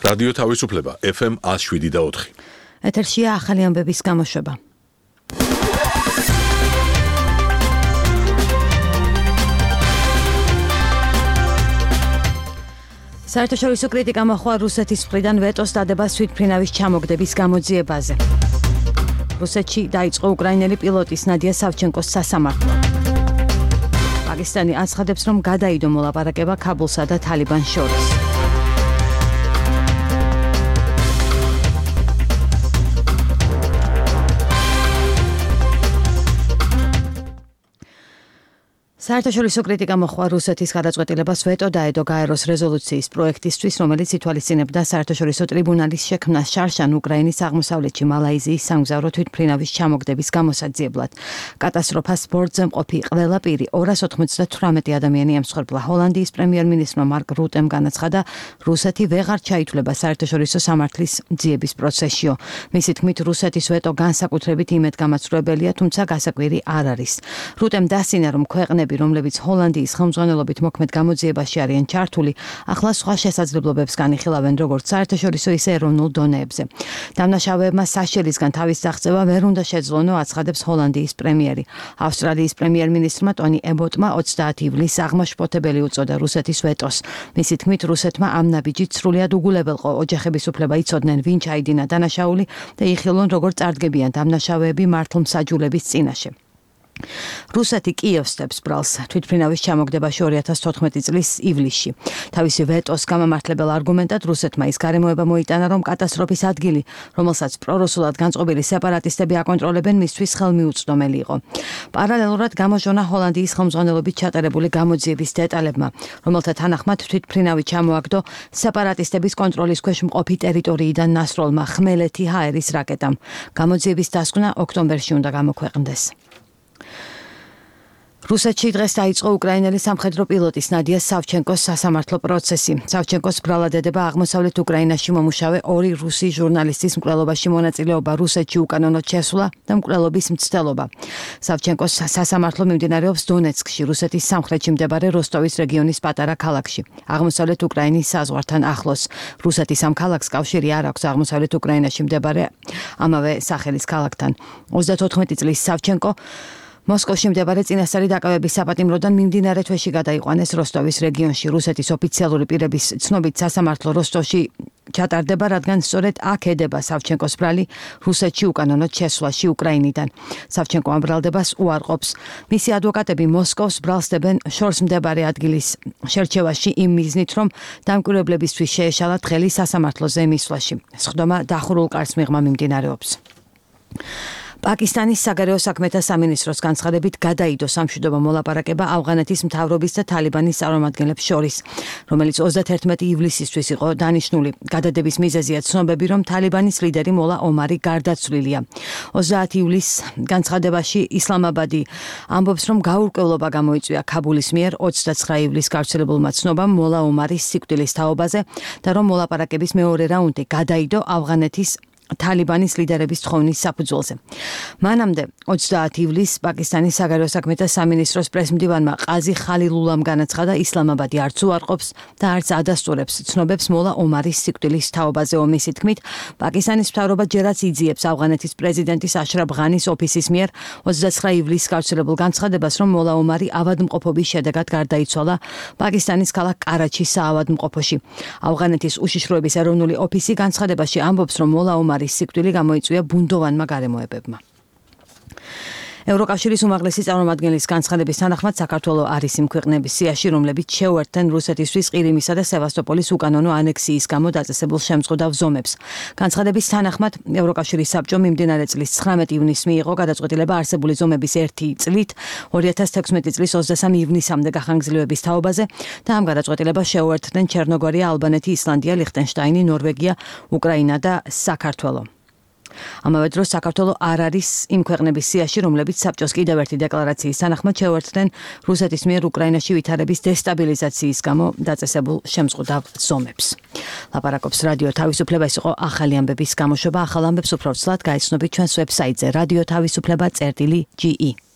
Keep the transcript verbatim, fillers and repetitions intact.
რადიო თავისუფლება ეფ ემ one oh seven და four. ეთერშია ახალი ამბების გამოშვება. საერთაშორისო კრიტიკა მოჰყვა რუსეთის მხრიდან ვეტოს დადებას თვითმფრინავის ჩამოგდების გამოძიებაზე. რუსეთში დაიწყო უკრაინელი პილოტის ნადია სავჩენკოს სასამართლო. პაკისტანი აცხადებს, რომ გადაიდო მოლაპარაკება ქაბულსა და თალიბანს შორის. საერთაშორისო კრიტიკა მოჰყვა რუსეთის გადაწყვეტილებას ვეტო დაედო გაეროს რეზოლუციის პროექტისთვის, რომელიც ითვალისწინებდა საერთაშორისო ტრიბუნალის შექმნას შარშან უკრაინის აღმოსავლეთში მალაიზიის სამგზავრო თვითმფრინავის ჩამოგდების გამოსაძიებლად. კატასტროფას ბორტზე მყოფი ყველა პირი ორას ოთხმოცდათვრამეტი ადამიანი ემსხვერპლა. ჰოლანდიის პრემიერ-მინისტრმა მარკ რუტემ განაცხადა, რუსეთი ვეღარ ჩაითვლება საერთაშორისო სამართლის ძიების პროცესშიო. მისი თქმით, რუსეთის ვეტო განსაკუთრებით იმედგამაცრუებელია, თუმცა გასაკვირი არ არის. რუტემ დასცინა, რომ ქვეყნები რომლებიც ჰოლანდიის ხელმძღვანელობით მოქმედ გამოძიებაში არიან ჩართული, ახლა სხვა შესაძლებლობებს განიხილავენ როგორც საერთაშორისო, ისე ეროვნულ დონეებზე. დამნაშავეებმა საშელისგან თავის აღწევა ვერ უნდა შეძლონო, აცხადებს ჰოლანდიის პრემიერი. ავსტრალიის პრემიერ-მინისტრმა ტონი ებოტმა ოცდაათი ივლისს აღმაშფოთებელი უწოდა რუსეთის ვეტოს. მისი თქმით, რუსეთმა ამ ნაბიჯით სრულიად უგულებელყო ოჯახების უფლება იცოდნენ, ვინ ჩაიდინა დანაშაული და იხილონ, როგორ წარდგებიან დამნაშავეები მართლმსაჯულების წინაშე. რუსეთი კიევსტებს ბრალს თვითმფრინავის ჩამოგდებაში ორი ათას თოთხმეტი წლის ივლისში. თავისი ვეტოს გამამართლებელ არგუმენტად რუსეთმა ის გარემოება მოიტანა, რომ კატასტროფის ადგილი, რომელსაც პრორუსულად განწყობილი სეპარატისტები აკონტროლებენ, მისთვის ხელმიუწვდომელი იყო. პარალელურად გამოჟონა ჰოლანდიის ხელმძღვანელობით ჩატარებული გამოძიების დეტალებმა, რომელთა თანახმად თვითმფრინავი ჩამოაგდო სეპარატისტების კონტროლის ქვეშ მყოფი ტერიტორიიდან ნასროლმა ხმელეთი ჰაერის რაკეტამ. გამოძიების დასკვნა ოქტომბერში უნდა გამოქვეყნდეს. რუსეთში დღეს დაიწყო უკრაინელი სამხედრო პილოტის ნადია სავჩენკოს სასამართლო პროცესი. სავჩენკოს ბრალადედება აღმოსავლეთ უკრაინაში მომუშავე ორი რუსი ჟურნალისტის მკვლელობაში მონაწილეობა რუსეთში უკანონოდ შესვლა და მკვლელობის მცდელობა. სავჩენკოს სასამართლო მიმდინარეობს დონეცკში, რუსეთის სამხრეთში მდებარე როსტოვის რეგიონის პატარა ქალაქში, აღმოსავლეთ უკრაინის საზღვართან ახლოს. რუსეთის ამ ქალაქს კავშირი არ აქვს აღმოსავლეთ უკრაინაში მდებარე ამავე სახელის ქალაქთან. ოცდათოთხმეტი წლის სავჩენკო მოსკოვში მდებარე წინასწარი დაკავების საპატიმროდან მიმდინარე თვეში გადაიყვანეს როსტოვის რეგიონში. რუსეთის ოფიციალური პირების ცნობით სასამართლო როსტოვში ჩატარდება, რადგან სწორედ აქ ედება სავჩენკოს ბრალი რუსეთში უკანონოდ შესვლაში უკრაინიდან. სავჩენკო ამ ბრალდებას უარყოფს. მისი ადვოკატები მოსკოვს ბრალს დებენ შორს მდებარე ადგილის შერჩევაში იმ მიზნით, რომ დამკვირვებლებისთვის შეეშალათ ხელი სასამართლოზე მისვლაში. სხდომა დახურულ კარს მიღმა მიმდინარეობს. პაკისტანის საგარეო საქმეთა სამინისტროს განცხადებით გადაიდო სამშვიდობო მოლაპარაკება ავღანეთის მთავრობის და თალიბანის წარმომადგენლებს შორის, რომელიც ოცდაათერთმეტი ივლისისთვის იყო დანიშნული. გადადების მიზეზია ცნობები, რომ თალიბანის ლიდერი მოლა ომარი გარდაცვლილია. ოცდაათი ივლისს განცხადებაში ისლამაბადი ამბობს, რომ გაურკვევლობა გამოიწვია ქაბულის მიერ ოცდაცხრა ივლისს გავრცელებულმა ცნობამ მოლა ომარის სიკვდილის თაობაზე და რომ მოლაპარაკების მეორე რაუნდი გადაიდო ავღანეთის თალიბანის ლიდერების თხოვნის საფუძველზე. მანამდე ოცდაათი ივლისს პაკისტანის საგარეო საქმეთა სამინისტროს პრესმდივანმა ყაზი ხალილულამ განაცხადა, ისლამაბადი არც უარყოფს და არც ადასტურებს ცნობებს მოლა ომარის სიკვდილის თაობაზე. მისი თქმით, პაკისტანის მთავრობა ჯერაც იძიებს ავღანეთის პრეზიდენტის აშრაფ ღანის ოფისის მიერ ოცდაცხრა ივლისს გავრცელებულ განცხადებას, რომ მოლა ომარი ავადმყოფობის შედეგად გარდაიცვალა პაკისტანის ქალაქ კარაჩის საავადმყოფოში. ავღანეთის უშიშროების ეროვნული ოფისი განცხადებაში ამბობს, რომ მოლა ომარი სიკვდილი გამოიწვია ბუნდოვანმა გარემოებებმა. ევროკავშირის უმაღლესი წარმომადგენლის განცხადების თანახმად საქართველო არის იმ ქვეყნების სიაში, რომლებიც შეუერთდნენ რუსეთისთვის ყირიმისა და სევასტოპოლის უკანონო ანექსიის გამო დაწესებულ შემწყუდავ ზომებს. განცხადების თანახმად ევროკავშირის საბჭო მიმდინარე წლის ცხრამეტი ივნისს მიიღო გადაწყვეტილება არსებული ზომების ერთი წლით ორი ათას თექვსმეტი წლის ოცდასამი ივნისამდე გახანგრძლივების თაობაზე და ამ გადაწყვეტილებას შეუერთდნენ ჩერნოგორია, ალბანეთი, ისლანდია, ლიხტენშტაინი, ნორვეგია, უკრაინა და საქართველო. ამავე დროს საქართველო არ არის იმ ქვეყნების სიაში, რომლებიც საბჭოს კიდევ ერთი დეკლარაციის თანახმად შეუერთდნენ რუსეთის მიერ უკრაინაში ვითარების დესტაბილიზაციის გამო დაწესებულ შემწყუდავ ზომებს. ლაპარაკობს რადიო თავისუფლება, ეს იყო ახალი ამბების გამოშვება. ახალ ამბებს უფრო ცვლად გაიცნობთ ჩვენს ვებსაიტზე radio tavisupleba წერტილი ჯი ი.